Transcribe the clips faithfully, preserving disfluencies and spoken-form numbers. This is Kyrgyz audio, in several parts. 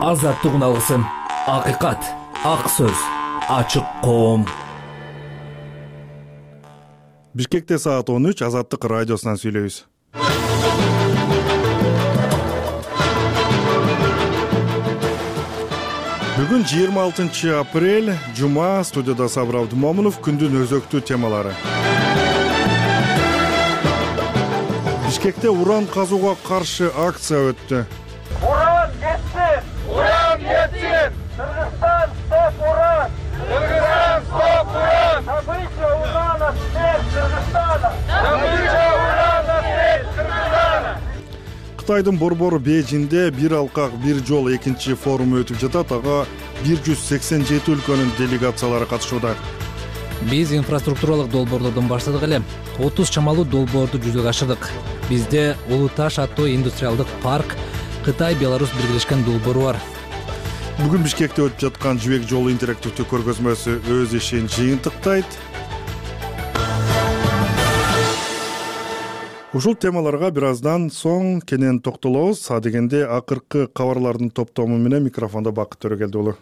Азаттык алгысым, акыйкат, ак сөз, ачык коом. Бишкекте саат он үч, Азаттык радиосунан сүйлөйбүз. Бүгүн жыйырма алтынчы апрель, жума. Студияда Сабыр Абдымомунов. Күндүн өзөктүү темалары. Бишкекте уран казууга каршы акция өттү. Уран кетсин! Уран кетсин! Кыргызстан стоп уран! Кыргызстан стоп уран! Добыча урана смерть Кыргызстана! Добыча урана смерть Кыргызстана! Кытайдын борбору Бейжиңде бир алкак бир жол экинчи форуму өтүп жатат. Ага бир жүз сексен жети өлкөнүн делегациялары катышууда. Биз инфраструктуралык долбоорлордон баштадык эле. отуз чамалуу долбоорду жүзөгө ашырдык. Бизде Улуу Таш аттуу индустриалдык парк, Кытай, Беларусь биргелешкен долбоору бар. Бүгүн Бишкекте өтүп жаткан жибек жолу интерактивдүү көргөзмөсү өз ишин жыйынтыктайт. Ушул темаларга бир аздан соң кенен токтолобуз. Адегенде акыркы кабарлардын топтому менен микрофондо Бакыт Төрөгелди уулу.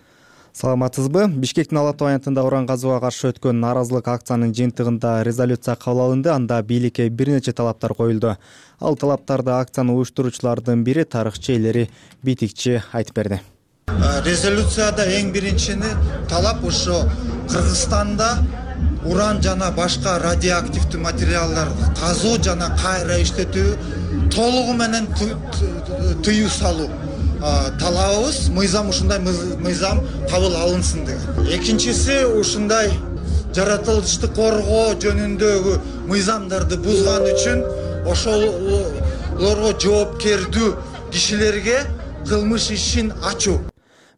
Саламатсызбы? Бишкектин Ала Тоо аянтында уран казууга каршы өткөн нааразылык акциянын жыйынтыгында резолюция кабыл алынды. Анда бийликке бир нече талаптар коюлду. Ал талаптарды акцияны уюштуруучулардын бири тарыхчы Элери Битикчи айтып берди. Резолюцияда эң биринчини талап ушу Кыргызстанда уран жана башка радиоактивдүү материалдарды казуу жана кайра иштетүү толугу менен тыюу салуу талабыбыз. Мыйзам ушундай мыйзам кабыл алынсын деген. Экинчиси ушундай жаратылышты коргоо жөнүндөгү мыйзамдарды бузган үчүн ошолорго жоопкердүү кишилерге кылмыш ишин ачуу.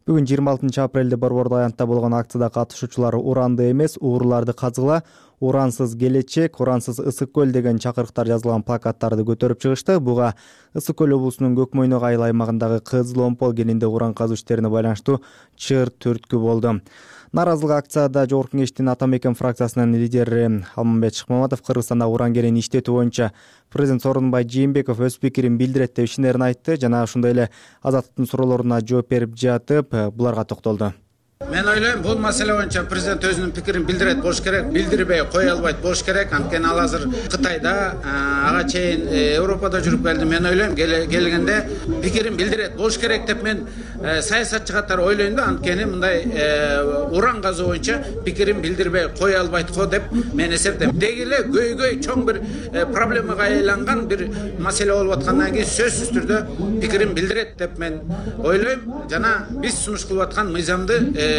Бүгүн жыйырма алтынчы апрелде Борбордуу аянтта болгон акцияда катышуучулар уранды эмес, уурларды казгыла, урансыз келечек, урансыз ысык көл деген чакырыктар жазылган плакаттарды көтөрүп чыгышты. Буга Ысык көл облусунун Көкмөйнөк айыл аймагындагы Кызыл Омпол кенинде уран казуу иштерине байланыштуу чыр түрткү болду. Нааразылык акцияда Жогорку Кеңештин Ата Мекен фракциясынын лидери Алмамбет Шыкмаматов Кыргызстанда уран кенин иштетүү боюнча президент Сооронбай Жээнбеков өз пикирин билдирет деп ишенерин айтты жана ошондой эле Азаттыктын суроолоруна жооп берип жатып буларга токтолду. Мен ойлойм, бул маселе боюнча президент өзүнүн пикирин билдирет болуш керек, билдирбей кое албайт болуш керек. Анткени ал азыр Кытайда, ага чейин Европада жүрүп келди. Мен ойлойм, келгенде пикирин билдирет болуш керек деп мен саясатчы катары ойлойм да. Анткени мындай уран казуу боюнча пикирин билдирбей кое албайт го деп мен эсептейм. Деги эле көйгөй чоң бир проблемага айланган бир маселе болуп аткандан кийин сөзсүз түрдө пикирин билдирет деп мен ойлойм жана биз сунуш кылып аткан мыйзамды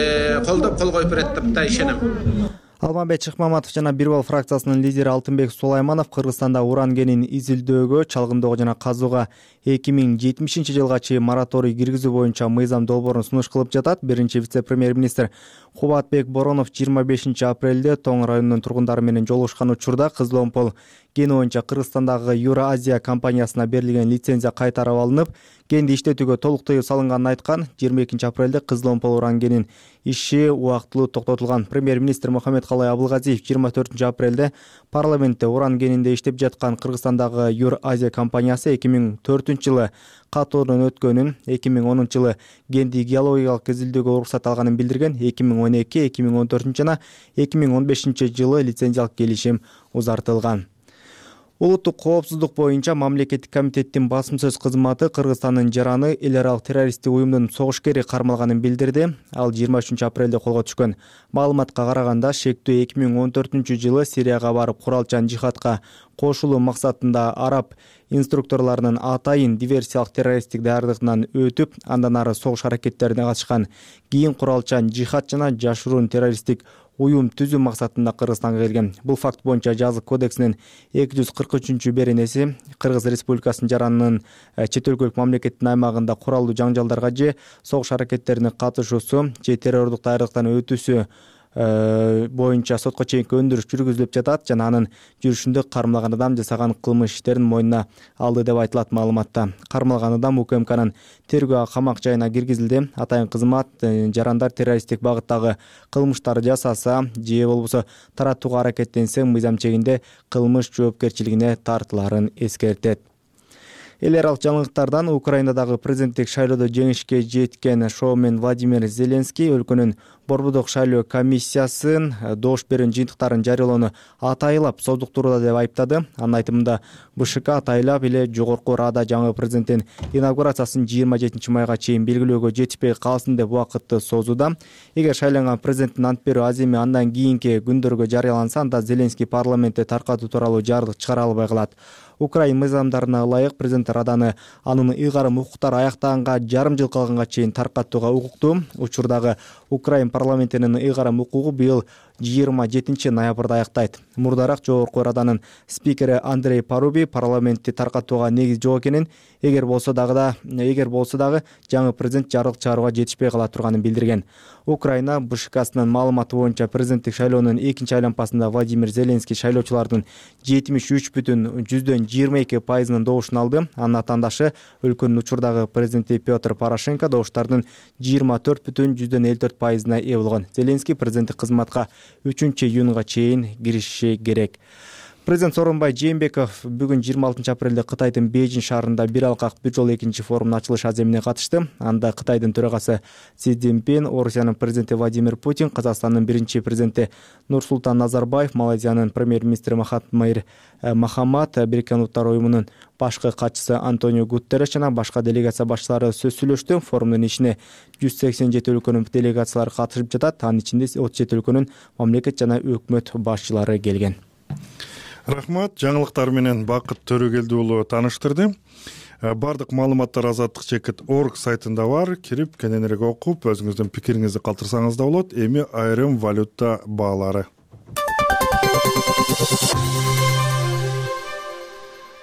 колдоп кол коюп берет деп да ишенем. Алмамбет Шыкмаматов жана Бир бал фракциясынын лидери Алтынбек Сулайманов Кыргызстанда уран кенин изилдөөгө, чалгындоого жана казууга эки миң жетимишинчи жылга чейин мораторий киргизүү боюнча мыйзам долбоорун сунуш кылып жатат. Биринчи вице-премьер-министр Кубатбек Боронов жыйырма бешинчи апрелде Тоң районунун тургундары менен жолугушкан учурда Кызыл Омпол кени боюнча Кыргызстандагы Евразия компаниясына берилген лицензия кайтарып алынып, кенди иштетүүгө толук тыюу салынганын айткан. жыйырма экинчи апрелде Кызыл Омпол уран кенин иши убактылуу токтотулган. Премьер-министр Мухаммедкалай Абылгазиев жыйырма төртүнчү апрелде парламентте уран кенинде иштеп жаткан Кыргызстандагы Евразия компаниясы эки миң төртүнчү жылы катоодон өткөнүн, эки миң онунчу жылы кенди геологиялык изилдөөгө уруксат алганын билдирген. эки миң он эки, эки миң он төртүнчү жана эки миң он бешинчи жылы лицензиялык келишим узартылган. Улуттук коопсуздук боюнча мамлекеттик комитеттин басым сөз кызматы Кыргызстандын жараны эл аралык террористтик уюмдун согушкери кармалганын билдирди. Ал жыйырма үчүнчү апрелде колго түшкөн. Маалыматка караганда шектүү эки миң он төртүнчү жылы Сирияга барып куралчан жихадка кошулуу максатында араб инструкторлорунун атайын диверсиялык террористтик даярдыгынан өтүп, андан ары согуш аракеттерине катышкан. Кийин куралчан жихад жана жашыруун террористтик уюм түзүү максатында Кыргызстанга келген. Бул факт боюнча жазык кодексинин эки жүз кырк үчүнчү беренеси Кыргыз Республикасынын жаранынын чет өлкөлүк мамлекеттин аймагында куралдуу жаңжалдарга же согуш аракеттерине катышуусу же террордук даярдыктан өтүүсү боюнча сотко чейинки өндүрүш жүргүзүлүп жатат жана анын жүрүшүндө кармалган адам жасаган кылмыш иштерин мойнуна алды деп айтылат маалыматта. Кармалган адам УКМКнын тергөө камак жайына киргизилди. Атайын кызмат жарандар террористтик багыттагы кылмыштар жасаса же болбосо таратууга аракеттенсе мыйзам чегинде кылмыш жоопкерчилигине тартыларын эскертет. эл аралык жаңылыктардан Украинадагы президенттик шайлоодо жеңишке жеткен шоумен Владимир Зеленский өлкөнүн борбордук шайлоо комиссиясын добуш берүүнүн жыйынтыктарын жарыялоону атайлап создуктурууда деп айыптады. Анын айтымында БШК атайлап эле жогорку Рада жаңы президенттин инаугурациясын жыйырма жетинчи майга чейин белгилөөгө жетишпей калсын деп убакытты созууда. Эгер шайланган президенттин ант берүү аземи андан кийинки күндөргө жарыяланса, анда Зеленский парламентте таркатуу тууралуу жардык чыгара албай калат. Украин мыйзамдарына ылайык президент Раданы анын ыйгарым укуктары аяктаганга жарым жыл калганга чейин таркатууга укуктуу. Учурдагы Украин парламентинин ыйгарым укугу быйыл жыйырма жетинчи ноябрда аяктайт. Мурдараак жогорку Раданын спикери Андрей Паруби парламентти таркатууга негиз жок экенин, эгер болсо дагы да эгер болсо дагы жаңы президент жардык чыгарууга жетишпей кала турганын билдирген. Украина БШКсынын маалыматы боюнча президенттик шайлоонун экинчи айланпасында Владимир Зеленский шайлоочулардын жетимиш үч бүтүн жүздөн жыйырма эки пайызынын добушун алды. Анын атаандашы өлкөнүн учурдагы президенти Петр Порошенко добуштардын жыйырма төрт бүтүн жүздөн элүү төрт пайызына ээ болгон. Зеленский президенттик кызматка үчүнчү июнга чейин кириши керек. Президент Сооронбай Жээнбеков бүгүн жыйырма алтынчы апрелде Кытайдын Бейжин шаарында бир алкак бир жол экинчи форумунун ачылыш аземине катышты. Анда Кытайдын төрагасы Си Цзиньпин, Орусиянын президенти Владимир Путин, Казакстандын биринчи президенти Нурсултан Назарбаев, Малайзиянын премьер-министри Махатмир Мохаммад, Бириккен Улуттар уюмунун башкы катчысы Антонио Гутерреш жана башка делегация башчылары сөз сүйлөштү. Форумдун ичине жүз сексен жети өлкөнүн делегациялары катышып жатат. Анын ичинде отуз жети өлкөнүн мамлекет жана өкмөт башчылары келген. Рахмат, жаңылыктар менен Бакыт Төрөгелди уулу тааныштырды. Бардык маалыматтар азаттык чекит точка орг сайтында бар. Кирип кененирээк окуп, өзүңүздүн пикириңизди калтырсаңыз да болот. Эми айрым валюта баалары.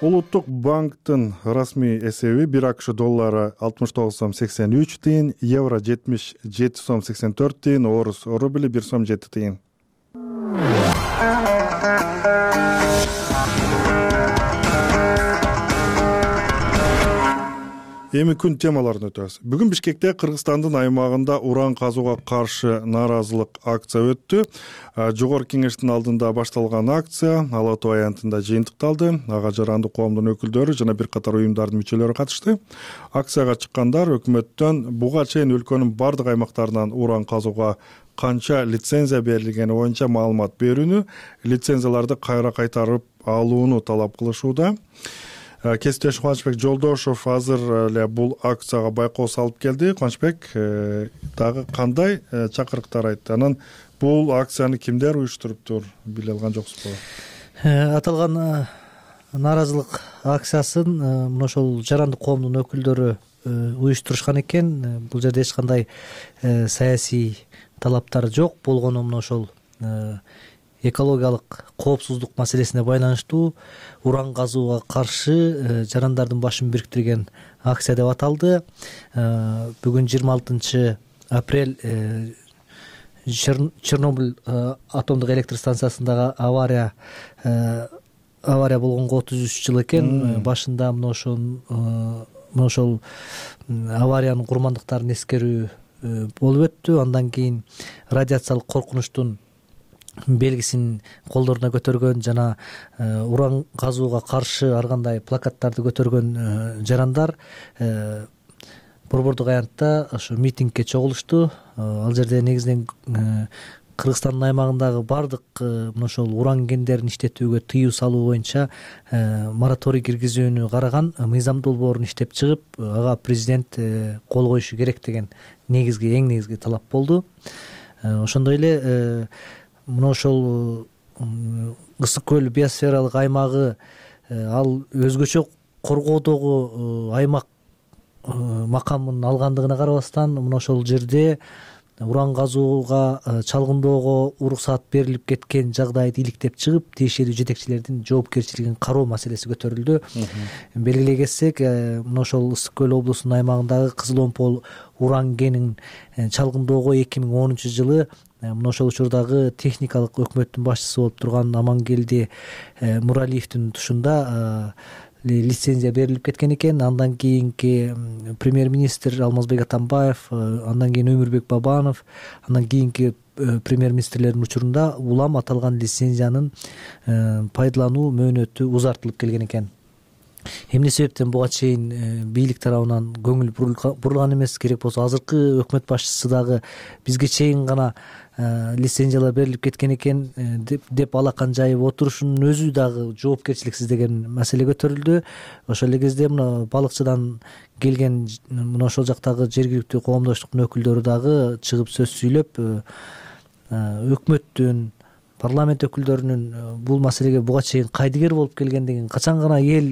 Улуттук банктын расмий эсеби бир АКШ доллары алтымыш тогуз сом сексен үч тыйын, евро жетимиш жети сом сексен төрт тыйын, орус рубли бир сом жети тыйын. Эми күн темаларын өтөбүз. Бүгүн Бишкекте Кыргызстандын аймагында уран казууга каршы нааразылык акция өттү. Жогорку кеңештин алдында башталган акция Ала Тоо аянтында жыйынтыкталды. Ага жарандык коомдун өкүлдөрү жана бир катар уюмдардын мүчөлөрү катышты. Акцияга чыккандар өкмөттөн буга чейин өлкөнүн бардык аймактарынан уран казууга канча лицензия берилгени боюнча маалымат берүүнү, лицензияларды кайра кайтарып алууну талап кылышууда. Кесиптеш Кубанычбек Жолдошов азыр эле бул акцияга байкоо салып келди. Кубанычбек, дагы кандай чакырыктар айтты? Анан бул акцияны кимдер уюштуруптур, биле алган жоксузбу? Аталган нааразылык акциясын мына ошол жарандык коомдун өкүлдөрү уюштурушкан экен. Бул жерде эч кандай саясий талаптар жок. Болгону мына ошол экологиялык коопсуздук маселесине байланыштуу уран казууга каршы жарандардын башын бириктирген акция деп аталды. Бүгүн жыйырма алтынчы апрель Чернобыль атомдук электр станциясындагы авария авария болгонго отуз үч жыл экен. Башында мына ошол мына ошол авариянын курмандыктарын эскерүү болуп өттү. Андан кийин радиациялык коркунучтун белгисин колдоруна көтөргөн жана уран казууга каршы ар кандай плакаттарды көтөргөн жарандар борбордук аянтта ошо митингге чогулушту. Ал жерде негизинен Кыргызстандын аймагындагы бардык мына ошол уран кендерин иштетүүгө тыюу салуу боюнча мораторий киргизүүнү караган мыйзам долбоорун иштеп чыгып, ага президент кол коюшу керек деген негизги эң негизги талап болду. Ошондой эле мына ошол Ысык көл биосфералык аймагы ал өзгөчө коргоодогу аймак макамын алгандыгына карабастан мына ошол жерде уран казууга чалгындоого уруксаат берилип кеткен жагдайды иликтеп чыгып, тиешелүү жетекчилердин жоопкерчилигин кароо маселеси көтөрүлдү. Белгилей кетсек, мына ошол Ысык көл облусунун аймагындагы Кызыл Омпол уран кенин чалгындоого эки миң онунчу жылы мына ошол учурдагы техникалык өкмөттүн башчысы болуп турган Амангелди Муралиевдин тушунда лицензия берилип кеткен экен. Андан кийинки премьер-министр Алмазбек Атамбаев, андан кийин Өмүрбек Бабанов, андан кийинки премьер-министрлердин учурунда улам аталган лицензиянын пайдалануу мөөнөтү узартылып келген экен. эмне себептен буга чейин бийлик тарабынан көңүл бурулган эмес, керек болсо азыркы өкмөт башчысы дагы бизге чейин гана лицензиялар берилип кеткен экен деп алакан жайып отурушунун өзү дагы жоопкерчиликсиз деген маселе көтөрүлдү. Ошол эле кезде мына балыкчыдан келген мына ошол жактагы жергиликтүү коомдоштуктун өкүлдөрү дагы чыгып сөз сүйлөп өкмөттүн, парламент өкүлдөрүнүн бул маселеге буга чейин кайдыгер болуп келгендигин, качан гана эл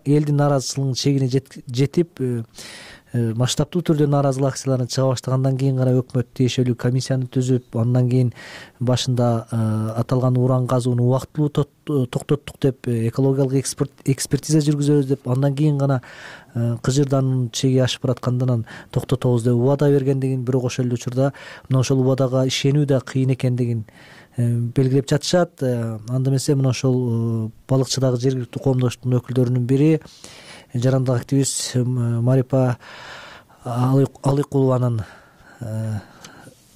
элдин нааразычылыгынын чегине жетип масштабтуу түрдө нааразылык акцияларына чыга баштагандан кийин гана өкмөт тиешелүү комиссияны түзүп, андан кийин башында аталган уран казууну убактылуу токтоттук деп, экологиялык экспертиза жүргүзөбүз деп, андан кийин гана кыжырдануунун чеги ашып бараткандан токтотобуз деп убада бергендигин, бирок ошол эле учурда мына ошол убадага ишенүү да кыйын экендигин белгилеп жатышат. Анда эмесе мына ошол балыкчыдагы жергиликтүү коомдоштуктун өкүлдөрүнүн бири жарандык активист Марипа Алыкулованын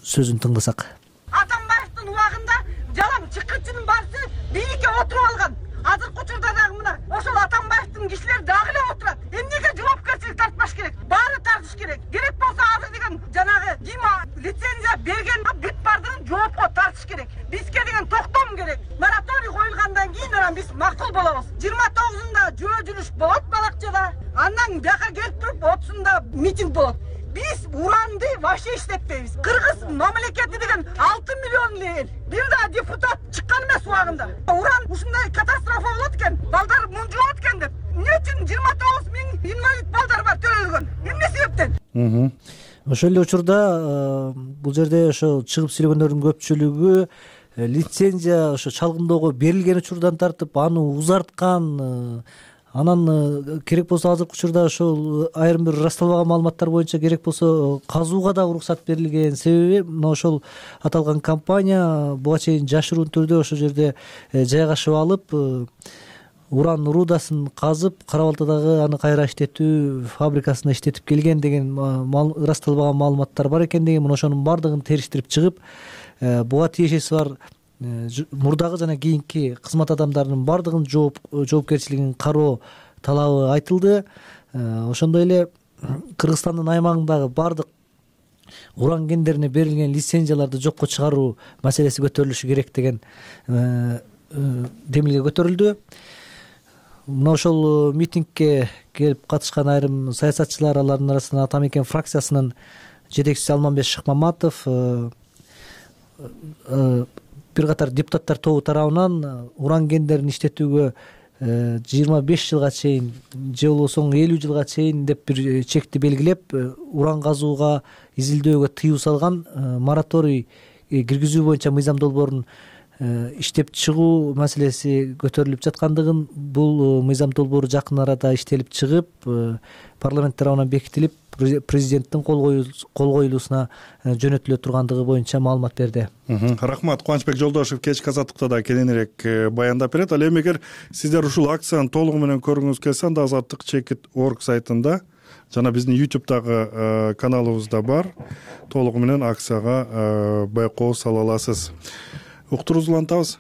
сөзүн тыңдасак. Атамбаевдин убагында жалаң чыккычынын баасы бийликке отуруп алган. Азыркы учурда дагы мына ошол Атамбаевдин кишилери дагы эле отурат. Эмнеге жоопкерчилик тартпаш керек? Баары тартыш керек. Керек болсо азыр деген жанагы ким лицензия берген бүт баардыгын жоопко тартыш керек. Бизге деген токтом керек. Мораторий коюлгандан кийин анан биз макул болобуз. жыйырма тогузунда жөө жүрүш болот балакчада. Андан бияка келип туруп отузунда митинг болот. Биз уранды вообще иштетпейбиз. Кыргыз мамлекети деген алты миллион эл. Бир да депутат чыккан эмес убагында. Уран ушундай катастрофа болот экен, балдар мунжулат экен деп. Эмне үчүн жыйырма тогуз миң инвалид балдар бар төрөлгөн? Эмне себептен? Ошол эле учурда бул жерде ошо чыгып сүйлөгөндөрдүн көпчүлүгү лицензия ошо чалгындоого берилген учурдан тартып аны узарткан, анан керек болсо азыркы учурда ошол айрым бир ырасталбаган маалыматтар боюнча керек болсо казууга дагы уруксат берилген. Себеби мына ошол аталган компания буга чейин жашыруун түрдө ошол жерде жайгашып алып, уран рудасын казып, Кара Балтадагы аны кайра иштетүү фабрикасында иштетип келген деген ырасталбаган маалыматтар бар экендиги, мына ошонун баардыгын териштирип чыгып, буга тиешеси бар мурдагы жана кийинки кызмат адамдарынын баардыгынын жоопкерчилигин кароо талабы айтылды. Ошондой эле Кыргызстандын аймагындагы баардык уран кендерине берилген лицензияларды жокко чыгаруу маселеси көтөрүлүшү керек деген демилге көтөрүлдү. Мына ошол митингге келип катышкан айрым саясатчылар, алардын арасынан Ата Мекен фракциясынын жетекчиси Алмамбет Шыкмаматов, бир катар депутаттар тобу тарабынан уран кендерин иштетүүгө жыйырма беш жылга чейин же болбосо элүү жылга чейин деп бир чекти белгилеп, уран казууга, изилдөөгө тыюу салган мораторий киргизүү боюнча мыйзам долбоорун иштеп чыгуу маселеси көтөрүлүп жаткандыгын, бул мыйзам долбоору жакын арада иштелип чыгып, парламент тарабынан бекитилип, президенттин кол коюлуусуна жөнөтүлө тургандыгы боюнча маалымат берди. Рахмат. Кубанычбек Жолдошев кечки азаттыкта да кененирээк баяндап берет. Ал эми эгер сиздер ушул акцияны толугу менен көргүңүз келсе, анда азаттык чекит точка орг сайтында жана биздин ютубтагы каналыбызда бар, толугу менен акцияга байкоо сала аласыз. Уктуруубузду улантабыз.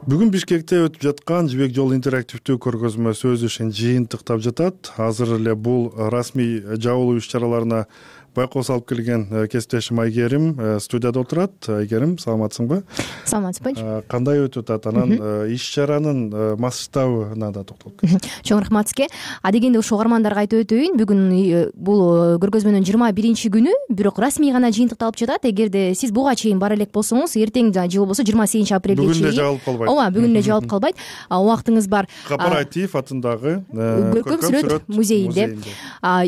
Бүгүн Бишкекте өтүп жаткан Жибек жолу интерактивдүү көргөзмөсү өз ишин жыйынтыктап жатат. Азыр эле бул расмий жабылуу иш-чараларына байкоо салып келген кесиптешим Айгерим студияда отурат. Айгерим, саламатсыңбы? Саламатсызбы. Кандай өтүп атат? Анан иш-чаранын масштабына да токтолуп кетсек. Чоң рахмат сизге. Адегенде ушул угармандарга айтып өтөйүн. Бүгүн бул көргөзмөнүн жыйырма биринчи күнү, бирок расмий гана жыйынтыкталып жатат. Эгерде сиз буга чейин бара элек болсоңуз, эртең же болбосо жыйырма сегизинчи апрелге чейин. Бүгүн эле жабылып калбайт. Ооба, бүгүн эле жабылып калбайт. Убактыңыз бар. Капар Айтиев атындагы Көркөм сүрөт музейинде.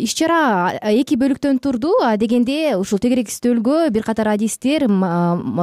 Иш-чара эки бөлүктөн турду. Адегенде ушул тегерек стөлгө бир катар адистер,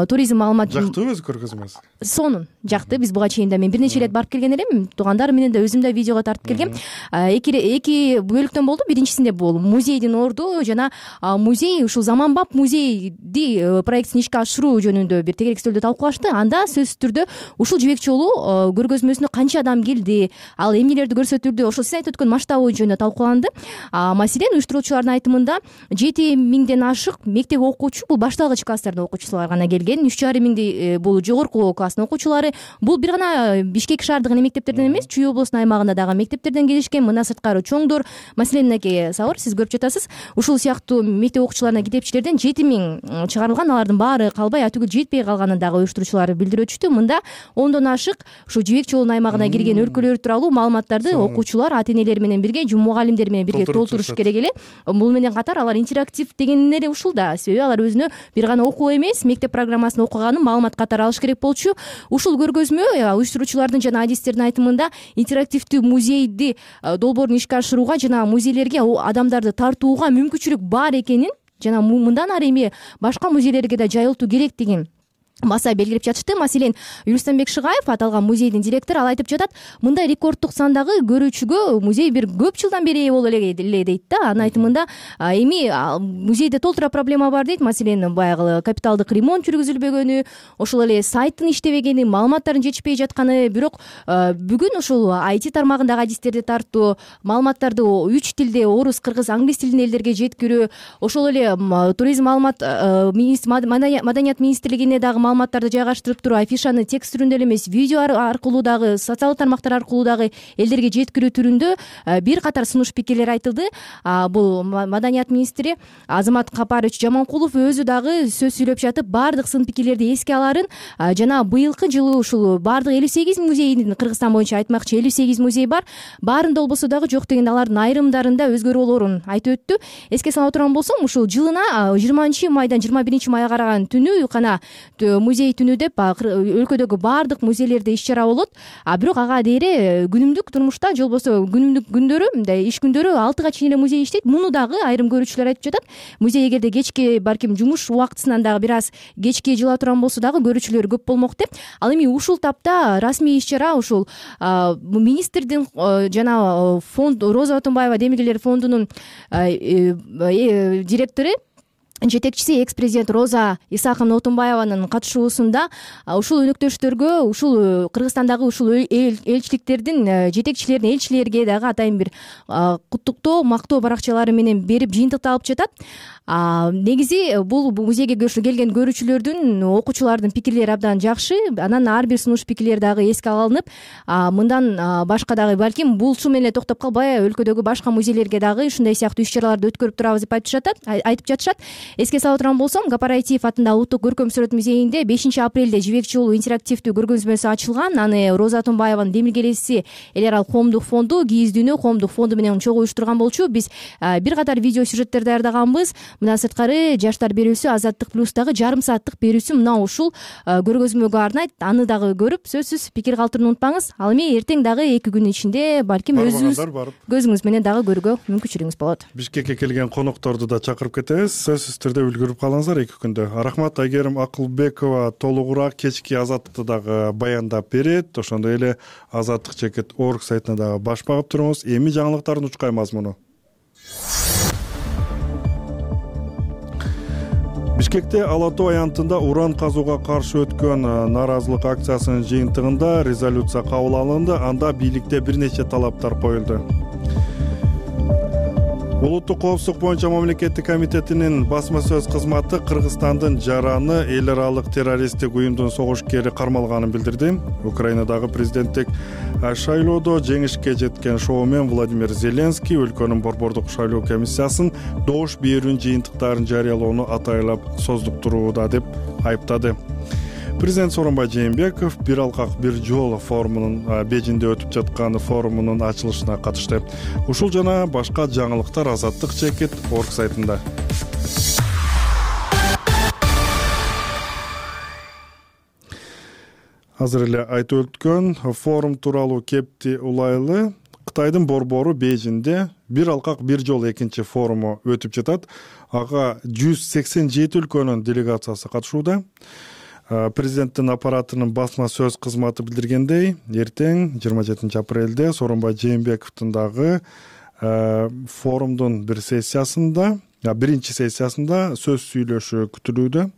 туризм маалымат жактыбы өзү көргөзмөсү? Сонун жакты. Биз буга чейин да мен бир нече ирет барып келген элем, туугандар менен да өзүм да видеого тартып келгем. эки эки бөлүктөн болду. Биринчисинде бул музейдин орду жана музей ушул заманбап музейди проектин ишке ашыруу жөнүндө бир тегерек стөлдө талкуулашты. Анда сөзсүз түрдө ушул жибек жолу көргөзмөсүнө канча адам келди, ал эмнелерди көрсөтүлдү, ошол сиз айтып өткөн масштабы жөнүндө талкууланды. Маселен, уюштуруучулардын айтымында жети миңден ашык мектеп окуучу, бул башталгыч класстардын окуучулары гана келген, үч жарым миңдей бул жогорку класстын окуучулары. Бул бир гана Бишкек шаардык эле мектептерден эмес, Чүй облусунун аймагында дагы мектептерден келишкен. Мындан сырткары чоңдор, маселен, мынакей Сабыр, сиз көрүп жатасыз, ушул сыяктуу мектеп окуучуларына китепчилерден жети миң чыгарылган, алардын баары калбай атүгүл жетпей калганын дагы уюштуруучулар билдирип өтүштү. Мында ондон ашык ушу жибек жолунун аймагына кирген өлкөлөр тууралуу маалыматтарды окуучулар ата энелери менен бирге, мугалимдер менен бирге толтуруш керек эле. Бул менен катар алар интерактив деген эле ушул да, себеби алар өзүнө бир гана окуу эмес, мектеп программасын окуганын маалымат катары алыш керек болчу. Ушул көргөзмө уюштуруучулардын жана адистердин айтымында интерактивдүү музейди долбоорун ишке ашырууга жана музейлерге адамдарды тартууга мүмкүнчүлүк бар экенин жана мындан ары эми башка музейлерге да жайылтуу керек деген баса белгилеп жатышты. Маселен, Юлстанбек Шыгаев, аталган музейдин директору, ал айтып жатат, мындай рекорддук сандагы көрүүчүгө музей бир көп жылдан бери ээ боло эле дейт да. Анын айтымында эми музейде толтура проблема бар дейт. Маселен, баягы капиталдык ремонт жүргүзүлбөгөнү, ошол эле сайттын иштебегени, маалыматтардын жетишпей жатканы. Бирок бүгүн ушул ай ти тармагындагы адистерди тартуу, маалыматтарды үч тилде, орус, кыргыз, англис тилинде элдерге жеткирүү, ошол эле туризм маалымат маданият министрлигине дагы маалыматтарды жайгаштырып туруп, афишаны текст түрүндө эле эмес, видео аркылуу дагы, социалдык тармактар аркылуу дагы элдерге жеткирүү түрүндө бир катар сунуш пикирлер айтылды. Бул маданият министри Азамат Капарович Жаманкулов өзү дагы сөз сүйлөп жатып, баардык сын пикирлерди эске аларын жана быйылкы жылы ушул баардык элүү сегиз музейдин, Кыргызстан боюнча айтмакчы элүү сегиз музей бар, баарында болбосо дагы жок дегенде алардын айрымдарында өзгөрүү болоорун айтып өттү. Эске сала турган болсом, ушул жылына жыйырманчы майдан жыйырма биринчи майга караган түнү гана музей түнү деп өлкөдөгү баардык музейлерде иш чара болот. А бирок ага дейре күнүмдүк турмушта же болбосо күнүмдүк күндөрү, мындай иш күндөрү алтыга чейин эле музей иштейт. Муну дагы айрым көрүүчүлөр айтып жатат. Музей эгерде кечки балким жумуш убактысынан дагы бир аз кечке жыла турган болсо дагы көрүүчүлөр көп болмок деп. Ал эми ушул тапта расмий иш чара ушул министрдин жана фонд Роза Отунбаева Демиргелер фондунун директору, жетекчиси экс-президент Роза Исаховна Отунбаеванын катышуусунда ушул өнөктөштөргө, ушул Кыргызстандагы ушул элчиликтердин жетекчилерине, элчилерге дагы атайын бир куттуктоо, мактоо баракчалары менен берип жыйынтыкталып жатат. Негизи бул музейге келген көрүүчүлөрдүн, окуучулардын пикирлери абдан жакшы. Анан ар бир сунуш пикирлер дагы эске алынып, мындан башка дагы балким булчу менен токтоп калбай өлкөдөгү башка музейлерге дагы ушундай сыяктуу иш чараларды өткөрүп турабыз деп айтып жатат, айтып жатышат. Эске сала турган болсом, Гапараитиев атындагы Улуттук көркөм сүрөт музейинде бешинчи апрелде жибек жолу интерактивдүү көргөзмөсү ачылган. Аны Роза Отунбаеванын демилгелеси Эл Арал коомдук фонду, Кийиздүүнү коомдук фонду менен чогуу уюштурган болчу. Биз бир катар видео сюжеттер даярдаганбыз. Мындан сырткары Жаштар берүүсү, Азаттык плюстагы жарым сааттык берүүсү мына ушул көргөзмөгө арнайт. Аны дагы көрүп, сөзсүз пикир калтырууну унутпаңыз. Ал эми эртең дагы эки күн ичинде балким өзүңүз көзүңүз менен дагы көрүүгө мүмкүнчүлүгүңүз болот. Бишкекке келген конокторду да чакырып кетебиз. Сөзсүз түрдө үлгүрүп калыңыздар эки күндө. Рахмат. Айгерим Акылбекова толугураак кечки Азаттыкты дагы баяндап берет. Ошондой эле азаттык чекит орг сайтына дагы баш багып туруңуз. Эми жаңылыктардын учкай мазмуну. Бишкекте Ала Тоо аянтында уран казууга каршы өткөн нааразылык акциясынын жыйынтыгында резолюция кабыл алынды. Анда бийликте бир нече талаптар коюлду. Улуттук коопсуздук боюнча мамлекеттик комитетинин басма сөз кызматы Кыргызстандын жараны эл аралык террористтик уюмдун согушкери кармалганын билдирди. Украинадагы президенттик шайлоодо жеңишке жеткен шоумен Владимир Зеленский өлкөнүн борбордук шайлоо комиссиясын добуш берүүнүн жыйынтыктарын жарыялоону атайлап создуктурууда деп айыптады. Президент Сооронбай Жээнбеков бир алкак бир жол форумунун Бейжиңде өтүп жаткан форумунун ачылышына катышты. Ушул жана башка жаңылыктар азаттык чекит орг сайтында. Азыр эле айтып өткөн форум тууралуу кепти улайлы. Кытайдын борбору Бейжиңде бир алкак бир жол экинчи форуму өтүп жатат. Ага жүз сексен жети өлкөнүн делегациясы катышууда. Президенттин аппаратынын басма сөз кызматы билдиргендей, эртең жыйырма жетинчи апрелде Сооронбай Жээнбековдун дагы форумдун бир сессиясында, биринчи сессиясында сөз сүйлөшү күтүлүүдө.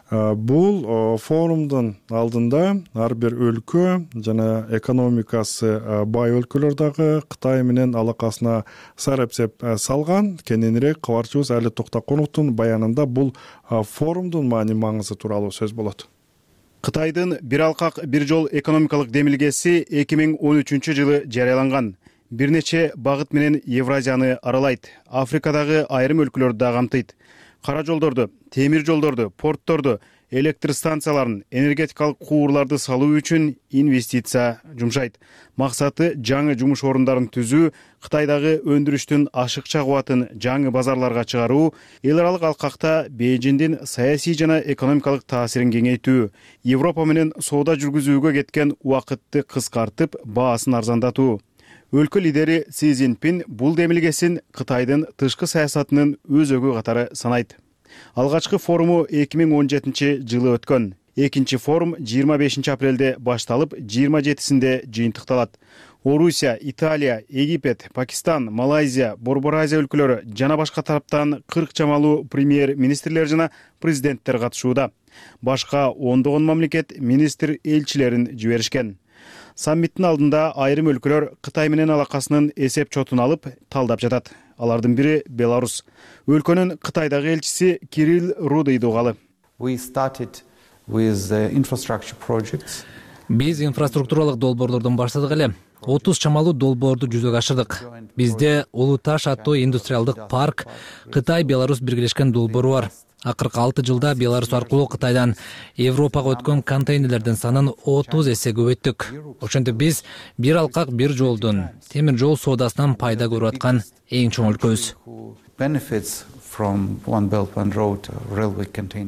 Бул форумдун алдында ар бир өлкө жана экономикасы бай өлкөлөр дагы Кытай менен алакасына сарапсеп салган. Кененирээк кабарчыбыз Али Токтоконовдун баянында бул форумдун маани маңызы тууралуу сөз болот. Кытайдын бир алкак бир жол экономикалык демилгеси эки миң он үчүнчү жылы жарыяланган. Бир нече багыт менен Евразияны аралайт. Африкадагы айрым өлкөлөрдү да камтыйт. Кара жолдорду, темир жолдорду, портторду, электр станцияларын, энергетикалык куурларды салуу үчүн инвестиция жумшайт. Максаты жаңы жумуш орундарын түзүү, Кытайдагы өндүрүштүн ашыкча кубатын жаңы базарларга чыгаруу, эл аралык алкакта Бейжиңдин саясий жана экономикалык таасирин кеңейтүү, Европа менен соода жүргүзүүгө кеткен убакытты кыскартып, баасын арзандатуу. Өлкө лидери Си Цзиньпин бул демилгесин Кытайдын тышкы саясатынын өзөгү катары санайт. Алгачкы форуму эки миң он жетинчи жылы өткөн. Экинчи форум жыйырма бешинчи апрелде башталып, жыйырма жетисинде жыйынтыкталат. Орусия, Италия, Египет, Пакистан, Малайзия, Борбор Азия өлкөлөрү жана башка тараптан кырк чамалуу премьер-министрлер жана президенттер катышууда. Башка ондогон мамлекет министр элчилерин жиберишкен. Саммиттин алдында айрым өлкөлөр Кытай менен алакасынын эсеп чотун алып талдап жатат. Алардын бири Беларус. Өлкөнүн Кытайдагы элчиси Кирилл Рудый дугалы. Биз инфраструктуралык долбоорлордон баштадык эле. отуз чамалуу долбоорду жүзөгө ашырдык. Бизде Улуу Таш аттуу индустриалдык парк, Кытай-Беларусь биргелешкен долбоору бар. Акыркы алты жылда Беларусь аркылуу Кытайдан Европага өткөн контейнерлердин санын отуз эсе көбөйттүк. Ошентип биз бир алкак бир жолдун, темир жол соодасынан пайда көрүп аткан эң чоң өлкөбүз.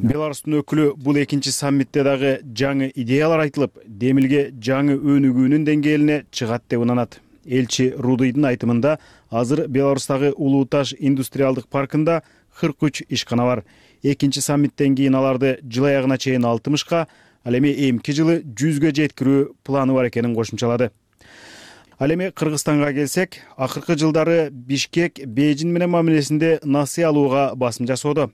Беларустун өкүлү бул экинчи саммитте дагы жаңы идеялар айтылып, демилге жаңы өнүгүүнүн деңгээлине чыгат деп ынанат. Элчи Рудыйдын айтымында азыр Беларустагы Улуу Таш индустриалдык паркында кырк үч ишкана бар. Экинчи саммиттен кийин аларды жыл аягына чейин алтымышка, ал эми эмки жылы жүзгө жеткирүү планы бар экенин кошумчалады. Ал эми Кыргызстанга келсек, акыркы жылдары Бишкек Бейжиң менен мамилесинде насый алууга басым жасоодо.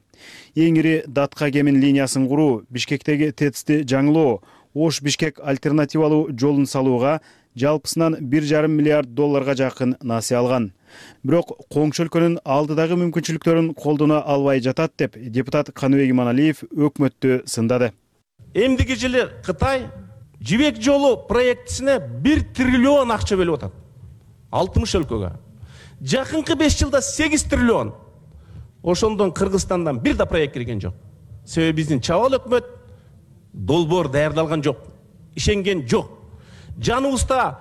Эң ири датка кемин линиясын куруу, Бишкектеги ТЭЦти жаңылоо, Ош Бишкек альтернативалуу жолун салууга жалпысынан бир жарым миллиард долларга жакын насый алган. Бирок коңшу өлкөнүн алдыдагы мүмкүнчүлүктөрүн колдоно албай жатат деп депутат Каныбек Иманалиев өкмөттү сындады. Эмдиги жылы Кытай жибек жолу проектисине бир триллион акча бөлүп атат. алтымыш өлкөгө. Жакынкы беш жылда сегиз триллион. Ошондон Кыргызстандан бир да проект кирген жок. Себеби биздин чабал өкмөт долбоор даярдалган жок, ишенген жок. Жаныбызда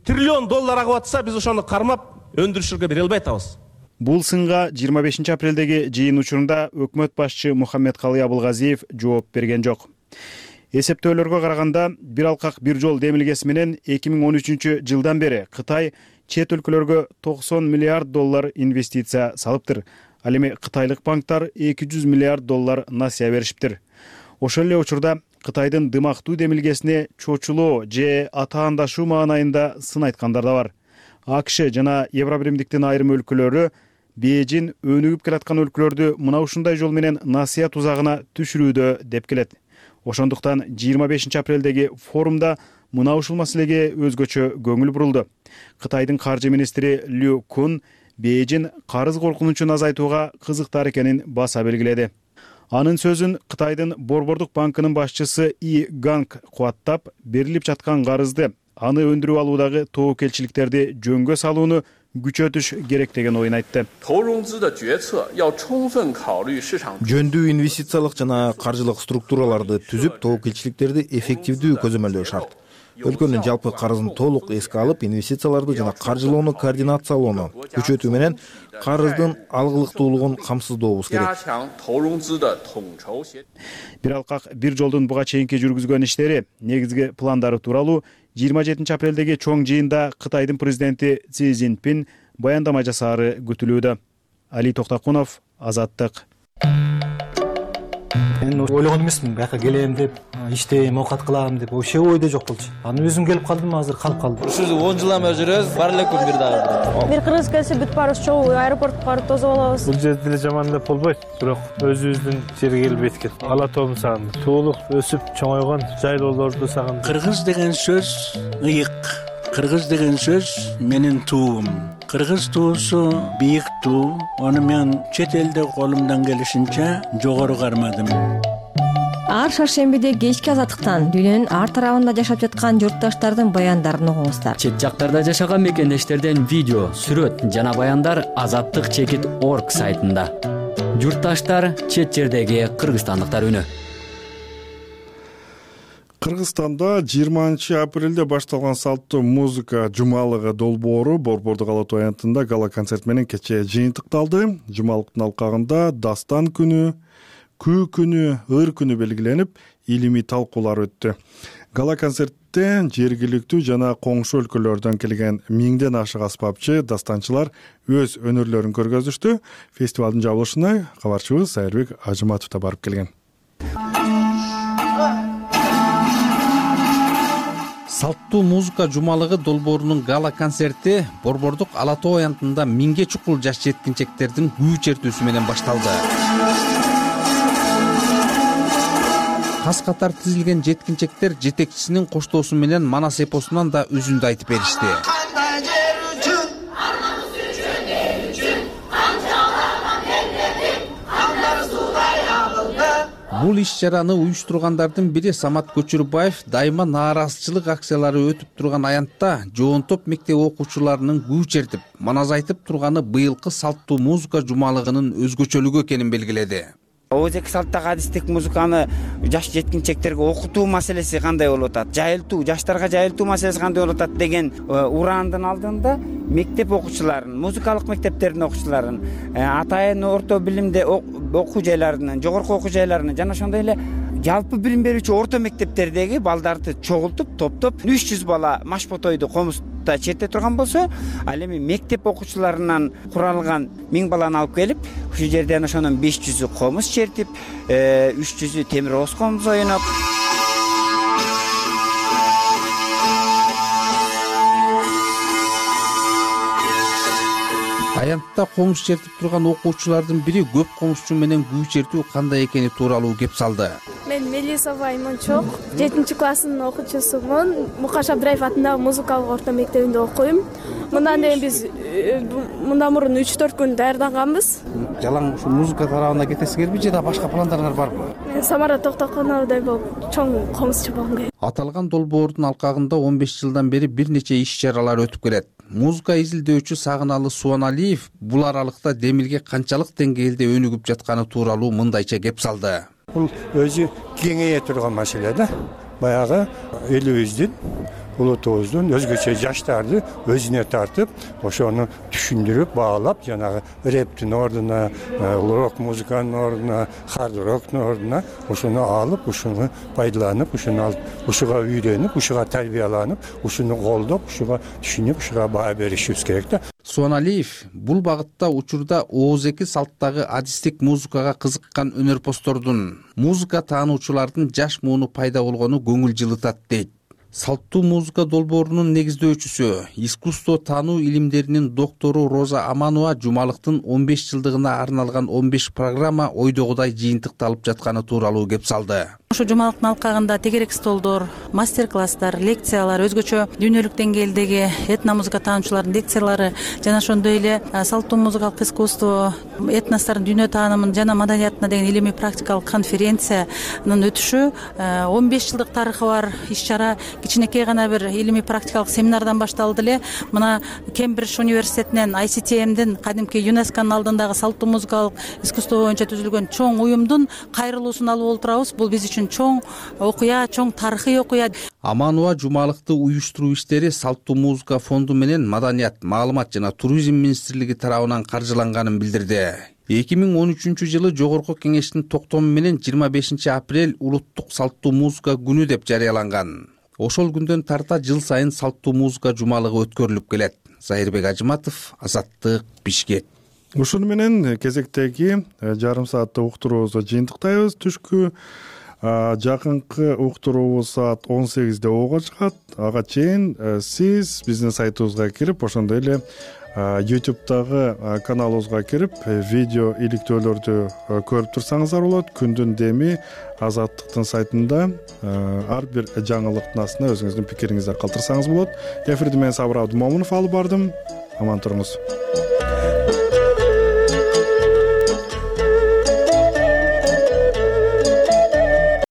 триллион доллар агып атса, биз ошону кармап өндүрүшүргө бере албай атабыз. Бул сынга жыйырма бешинчи апрелдеги жыйын учурунда өкмөт башчы Мухаммедкалый Абылгазиев жооп берген жок. Эсептөөлөргө караганда, бир алкак бир жол демилгеси менен эки миң он үчүнчү жылдан бери Кытай чет өлкөлөргө токсон миллиард доллар инвестиция салыптыр. Ал эми кытайлык банктар эки жүз миллиард доллар насыя беришиптир. Ошол эле учурда Кытайдын дымактуу демилгесине чочулоо же атаандашуу маанайында сын айткандар да бар. АКШ жана Евробиримдиктин айрым өлкөлөрү Бейжиң өнүгүп келаткан өлкөлөрдү мына ушундай жол менен насыя тузагына түшүрүүдө деп келет. Ошондуктан жыйырма бешинчи апрелдеги форумда мына ушул маселеге өзгөчө көңүл бурулду. Кытайдын каржы министри Лю Кун Бейжиң карыз коркунучун азайтууга кызыктар экенин баса белгиледи. Анын сөзүн Кытайдын Борбордук банкынын башчысы И Ганг кубаттап, берилип жаткан карызды, аны өндүрүп алуудагы тобокелчиликтерди жөнгө салууну күчөтүш керек деген оюн айтты. Жөндүү инвестициялык жана каржылык структураларды түзүп, тобокелчиликтерди эффективдүү көзөмөлдөө шарт. Өлкөнүн жалпы карызын толук эске алып, инвестицияларды жана каржылоону координациялоону күчөтүү менен карыздын алгылыктуулугун камсыздообуз керек. Бир алкак бир жолдун буга чейинки жүргүзгөн иштери, негизги пландары тууралуу жыйырма жетинчи апрелдеги чоң жыйында Кытайдын президенти Си Цзиньпин баяндама жасаары күтүлүүдө. Али Токтокунов, Азаттык. Мен ойлогон эмесмин бияка келем деп, иштейм, оокат кылам деп, вообще ойдо жок болчу. Аны өзүм келип калдым, азыр калып калдым. Ушул он жыл ама жүрөбүз, бар эле күн бир дагы. Бир кыргыз келсе бүт баарыбыз чогуу аэропортко барып тосуп алабыз. Бул жерде деле жаман деп болбойт, бирок өзүбүздүн жерге келип эткет. Ала тоом сагындым. Туулук, өсүп чоңойгон жайлоолорду сагындым. Кыргыз деген сөз ыйык. Кыргыз деген сөз менин туум. Кыргыз туусу бийик туу. Аны мен чет элде колумдан келишинче жогору кармадым. Ар шаршембиде кечки азаттыктан дүйнөнүн ар тарабында жашап жаткан журтташтардын баяндарын угуңуздар. Чет жактарда жашаган мекендештерден видео, сүрөт жана баяндар азаттык чекит орг сайтында. Журтташтар, чет жердеги кыргызстандыктар үнү. Кыргызстанда жыйырманчы апрелде башталган салттуу музыка жумалыгы долбоору Борбордук ала тоо аянтында гала концерт менен кечээ жыйынтыкталды. Жумалыктын алкагында дастан күнү, күү күнү, ыр күнү белгиленип, илимий талкуулар өттү. Гала концертте жергиликтүү жана коңшу өлкөлөрдөн келген миңден ашык аспапчы, дастанчылар өз өнөрлөрүн көргөзүштү. Фестивалдын жабылышына кабарчыбыз Айырбек Ажыматов да барып келген. Салттуу музыка жумалыгы долбоорунун гала концерти Борбордук ала тоо аянтында миңге чукул жаш жеткинчектердин күү чертүүсү менен башталды. Кас катар тизилген жеткинчектер жетекчисинин коштоосу менен Манас эпосунан да үзүндү айтып беришти. Бул иш-чараны уюштургандардын бири Самат Көчүрбаев дайыма нааразычылык акциялары өтүп турган аянтта жоонтоп мектеп окуучуларынын күү чертип, манас айтып турганы быйылкы салттуу музыка жумалыгынын өзгөчөлүгү экенин белгиледи. Ооз эки салттагы адистик музыканы жаш жеткинчектерге окутуу маселеси кандай болуп атат, жайылтуу, жаштарга жайылтуу маселеси кандай болуп атат деген ураандын алдында мектеп окуучуларын, музыкалык мектептердин окуучуларын, атайын орто билимде окуу жайларынын, жогорку окуу жайларынын жана ошондой эле жалпы билим берүүчү орто мектептердеги балдарды чогултуп, топтоп үч жүз бала машботойду комузда черте турган болсо, ал эми мектеп окуучуларынан куралган миң баланы алып келип, ушул жерден ошонун беш жүзү комуз чертип, үч жүзү темир ооз комуз оюнуп, аянтта комуз чертип турган окуучулардын бири көп комузчу менен күү чертүү кандай экени тууралуу кеп салды. Мен Мелисова Аймончок, жетинчи класстын окуучусумун. Мукаш Абдраев атындагы музыкалык орто мектебинде окуйм. Мындан эми биз мындан мурун үч төрт күн даярданганбыз. Жалаң ушу музыка тарабына кетесиңерби же да башка пландарыңар барбы? Самара Токтоконовдой болуп чоң комузчу болгум келет. Аталган долбоордун алкагында он беш жылдан бери бир нече иш-чаралар өтүп келет. Музыка изилдөөчү Сагыналы Суаналиев бул аралыкта демилге канчалык деңгээлде өнүгүп жатканы тууралуу мындайча кеп салды. Бул өзү кеңейе турган маселе да. Баягы элибиздин, улутубуздун өзгөчө жаштарды өзүнө тартып, ошону түшүндүрүп, баалап, жанагы рэптин ордуна, рок музыканын ордуна, хард роктун ордуна ошону алып, ушуну пайдаланып, ушуну алып, ушуга үйрөнүп, ушуга тарбияланып, ушуну колдоп, ушуга түшүнүп, ушуга баа беришибиз керек да. Суаналиев бул багытта учурда ооз эки салттагы адистик музыкага кызыккан өнөрпоздордун, музыка таануучулардын жаш мууну пайда болгону көңүл жылытат дейт. Салттуу музыка долбоорунун негиздөөчүсү, искусство таануу илимдеринин доктору Роза Аманова жумалыктын он беш жылдыгына арналган он беш программа ойдогудай жыйынтыкталып жатканы тууралуу кеп салды. Ушу жумалыктын алкагында тегерек столдор, мастер-класстар, лекциялар, өзгөчө дүйнөлүк деңгээлдеги этномузыка таануучулардын лекциялары жана ошондой эле салттуу музыкалык искусство, этностордун дүйнө таанымын жана маданиятына деген илимий практикалык конференциянын өтүшү он беш жылдык тарыхы бар иш-чара кичинекей гана бир илимий практикалык семинардан башталды эле. Мына Кембридж университетинен ай си ти эмдин кадимки ЮНЕСКОнун алдындагы салттуу музыкалык искусство боюнча түзүлгөн чоң уюмдун кайрылуусун алып олтурабыз. Бул биз үчүн чоң окуя, чоң тарыхый окуя. Аманова жумалыкты уюштуруу иштери Салттуу музыка фонду менен Маданият, маалымат жана туризм министрлиги тарабынан каржыланганын билдирди. эки миң он үчүнчү жылы Жогорку кеңештин токтому менен жыйырма бешинчи апрель улуттук салттуу музыка күнү деп жарыяланган. Ошол күндөн тарта жыл сайын салттуу музыка жумалыгы өткөрүлүп келет. Зайырбек Ажыматов, Азаттык, Бишкек. ушуну менен кезектеги жарым сааттык уктуруубузду жыйынтыктайбыз. Түшкү жакынкы уктуруубуз саат он сегизде ого чыгат. Ага чейин сиз биздин сайтыбызга кирип, ошондой эле ютубтагы каналыбызга кирип, видео иликтөөлөрдү көрүп турсаңыздар болот. Күндүн деми Азаттыктын сайтында ар бир жаңылыктын астына өзүңүздүн пикириңизди калтырсаңыз болот. Эфирди мен Сабыр Абдымомунов алып бардым. Аман туруңуз.